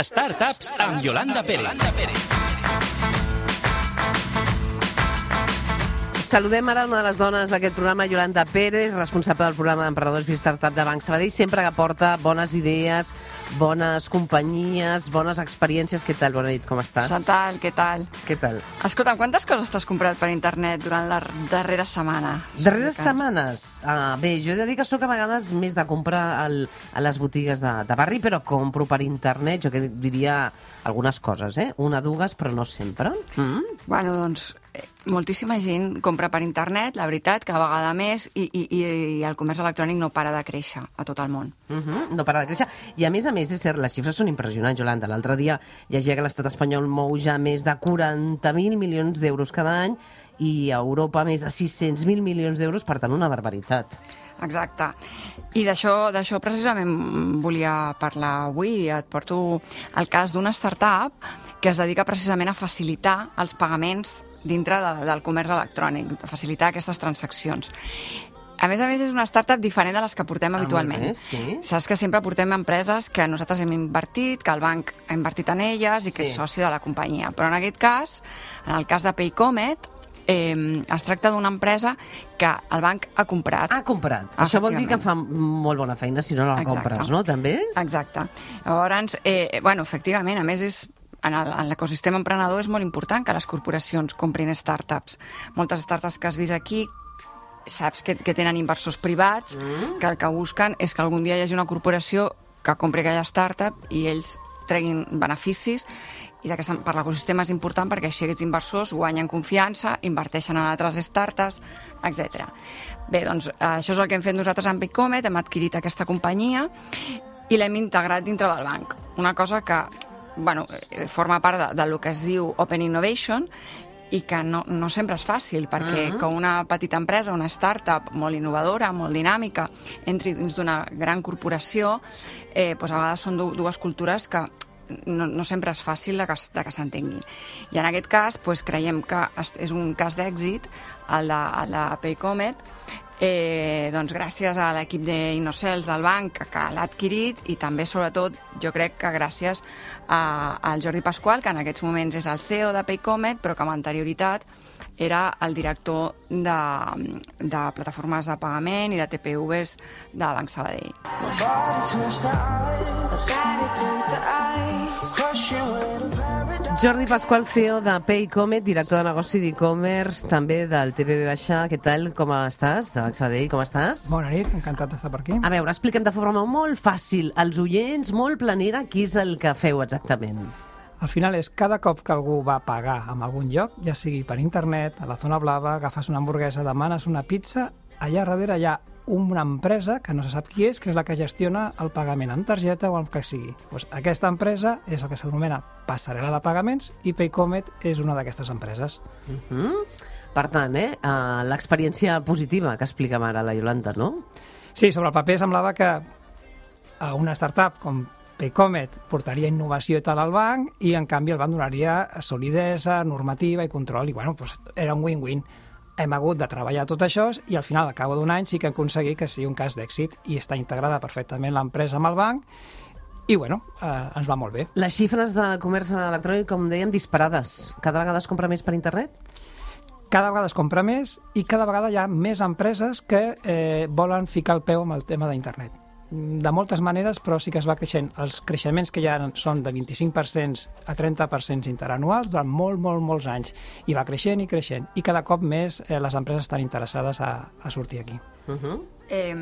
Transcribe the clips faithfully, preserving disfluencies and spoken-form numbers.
Startups amb Yolanda Pérez. Saludem ara una de les dones d'aquest programa, Yolanda Pérez, responsable del programa d'emprenedors i startup de Banc Sabadell, sempre que porta bones idees, bones companyies, bones experiències. Què tal? Bona nit, com estàs? Què tal, què tal? Què tal? Escolta, quantes coses t'has comprat per internet durant la darrera setmana? Darreres setmanes? Uh, bé, jo he de dir que sóc a vegades més de comprar al, a les botigues de, de barri, però compro per internet, jo que diria algunes coses, eh? Una, dues, però no sempre. Mm? Bueno, doncs, eh, moltíssima gent compra per internet, la veritat, cada vegada més, i, i, i el comerç electrònic no para de créixer a tot el món. Uh -huh, no para de créixer. I a més a més, és cert, les xifres són impressionants, Yolanda. L'altre dia llegia que l'estat espanyol mou ja més de quaranta mil milions d'euros cada any i a Europa més de sis-cents mil milions d'euros, per tant, una barbaritat. Exacte. I d'això d'això precisament volia parlar avui. Et porto el cas d'una startup que es dedica precisament a facilitar els pagaments dintre de, del comerç electrònic, a facilitar aquestes transaccions. A més a més, és una startup diferent de les que portem Ah, habitualment. molt bé, sí. Saps que sempre portem empreses que nosaltres hem invertit, que el banc ha invertit en elles i que Sí. és soci de la companyia. Però en aquest cas, en el cas de Paycomet, eh, es tracta d'una empresa que el banc ha comprat. Ha comprat. Això vol dir que fa Efectivament. molt bona feina si no la Exacte. compres, no? També? Exacte. Llavors, eh, bueno, efectivament, a més és en el- en l'ecosistema emprenedor és molt important que les corporacions comprin startups. Moltes startups que has vist aquí saps que, que tenen inversors privats mm. que el que busquen és que algun dia hi hagi una corporació que compri aquella startup i ells treguin beneficis, i d'aquesta, per l'ecosistema és important perquè així aquests inversors guanyen confiança, inverteixen en altres startups, etcètera. Bé, doncs això és el que hem fet nosaltres amb Paycomet, hem adquirit aquesta companyia i l'hem integrat dintre del banc. Una cosa que bueno, forma part de, de lo que es diu Open Innovation i que no, no sempre és fàcil, perquè uh -huh. que una petita empresa, una startup molt innovadora, molt dinàmica, entri dins d'una gran corporació, eh, doncs a vegades són dues cultures que no, no sempre és fàcil de que, de que s'entenguin. I en aquest cas doncs, creiem que és un cas d'èxit, el de, el de Paycomet, Eh, doncs gràcies a l'equip d'Innocels del banc que, que l'ha adquirit, i també sobretot jo crec que gràcies a, al Jordi Pasqual, que en aquests moments és el C E O de Paycomet, però que amb anterioritat era el director de, de plataformes de pagament i de T P Vs de Banc Sabadell. Jordi Pasqual, C E O de Paycomet, director de negoci d'e-commerce, també del T P V Baixa. Què tal? Com estàs? De Banc Sabadell, com estàs? Bona nit, encantat d'estar per aquí. A veure, explica'm de forma molt fàcil, als oients, molt planera, què és el que feu exactament? Al final és cada cop que algú va pagar en algun lloc, ja sigui per internet, a la zona blava, agafes una hamburguesa, demanes una pizza, allà darrere hi ha una empresa que no se sap qui és, que és la que gestiona el pagament amb targeta o el que sigui. Pues aquesta empresa és el que s'anomena passarel·la de pagaments i Paycomet és una d'aquestes empreses. Uh -huh. Per tant, eh, uh, l'experiència positiva que explica'm ara la Yolanda, no? Sí, sobre el paper semblava que a una startup com Paycomet portaria innovació i tal al banc i, en canvi, el banc donaria solidesa, normativa i control. I, bueno, pues, era un win-win. Hem hagut de treballar tot això i, al final, al cabo d'un any, sí que hem aconseguit que sigui un cas d'èxit i està integrada perfectament l'empresa amb el banc i, bueno, eh, ens va molt bé. Les xifres de comerç electrònic, com dèiem, disparades. Cada vegada es compra més per internet? Cada vegada es compra més i cada vegada hi ha més empreses que eh, volen ficar el peu amb el tema d'internet. De moltes maneres, però sí que es va creixent. Els creixements que hi ha són de vint-i-cinc per cent a trenta per cent interanuals durant molt, molt, molts anys. I va creixent i creixent. I cada cop més eh, les empreses estan interessades a, a sortir aquí. Uh -huh. Eh,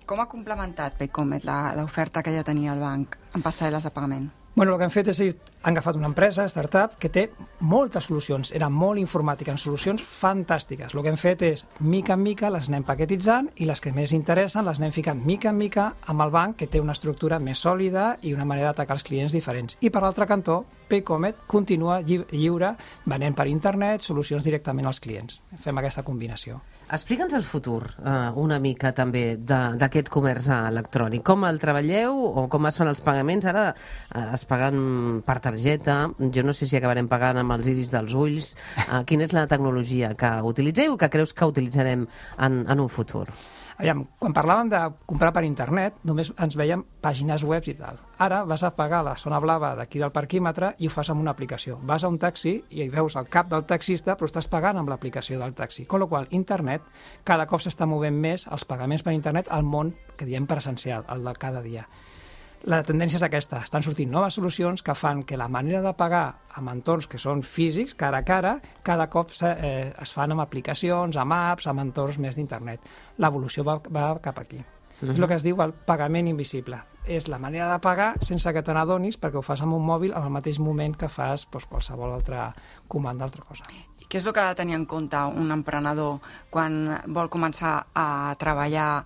com ha complementat Paycomet l'oferta que ja tenia el banc en passarel·les de pagament? Bueno, el que han fet és han agafat una empresa, startup, que té moltes solucions. Era molt informàtica, en solucions fantàstiques. El que hem fet és, mica en mica, les anem paquetitzant i les que més interessen les anem ficant mica en mica amb el banc, que té una estructura més sòlida i una manera d'atacar els clients diferents. I per l'altre cantó, Paycomet continua lli lliure, venent per internet, solucions directament als clients. Fem aquesta combinació. Explica'ns el futur, eh, una mica també, d'aquest comerç electrònic. Com el treballeu o com es fan els pagaments? Ara eh, es paguen per telèfon, targeta. Jo no sé si acabarem pagant amb els iris dels ulls. Uh, quina és la tecnologia que utilitzeu o que creus que utilitzarem en, en un futur? Aviam, quan parlàvem de comprar per internet, només ens veiem pàgines web i tal. Ara vas a pagar la zona blava d'aquí del parquímetre i ho fas amb una aplicació. Vas a un taxi i hi veus el cap del taxista, però estàs pagant amb l'aplicació del taxi. Con la qual cosa, internet, cada cop s'està movent més els pagaments per internet al món que diem presencial, el de cada dia. La tendència és aquesta. Estan sortint noves solucions que fan que la manera de pagar amb entorns que són físics, cara a cara, cada cop se, eh, es fan amb aplicacions, amb apps, amb entorns més d'internet. L'evolució va, va cap aquí. Uh-huh. És el que es diu el pagament invisible. És la manera de pagar sense que te n'adonis perquè ho fas amb un mòbil al mateix moment que fas doncs, qualsevol altra comanda, altra cosa. I què és el que ha de tenir en compte un emprenedor quan vol començar a treballar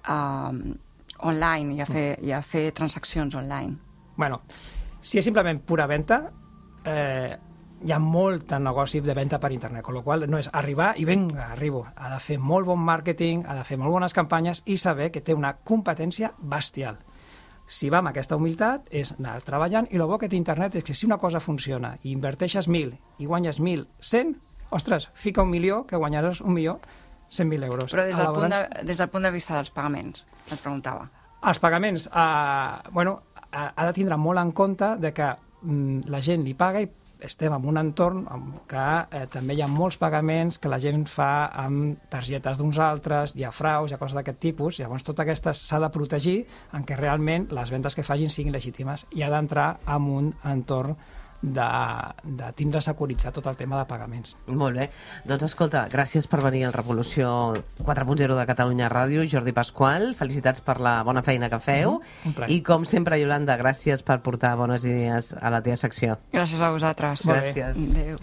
eh, online i a, fer, i a fer transaccions online? Bueno, si és simplement pura venda, eh, hi ha molt de negoci de venda per internet, amb la qual no és arribar i vinga, arribo. Ha de fer molt bon màrqueting, ha de fer molt bones campanyes i saber que té una competència bestial. Si va amb aquesta humilitat, és anar treballant, i el bo que té internet és que si una cosa funciona i inverteixes mil i guanyes mil cent, ostres, fica un milió que guanyaràs un milió cent mil euros. Però des del, punt de, des del punt de vista dels pagaments, et preguntava. Els pagaments, eh, bueno, ha, ha de tindre molt en compte de que mm, la gent li paga i estem en un entorn que eh, també hi ha molts pagaments que la gent fa amb targetes d'uns altres, hi ha fraus, hi ha coses d'aquest tipus, llavors tot aquesta s'ha de protegir en què realment les vendes que facin siguin legítimes i ha d'entrar en un entorn de, de tindre securitzat tot el tema de pagaments. Molt bé. Doncs escolta, gràcies per venir al Revolució quatre punt zero de Catalunya Ràdio, Jordi Pasqual, felicitats per la bona feina que feu, Mm-hmm. i com sempre, Iolanda, gràcies per portar bones idees a la teva secció. Gràcies a vosaltres. Gràcies. Adéu.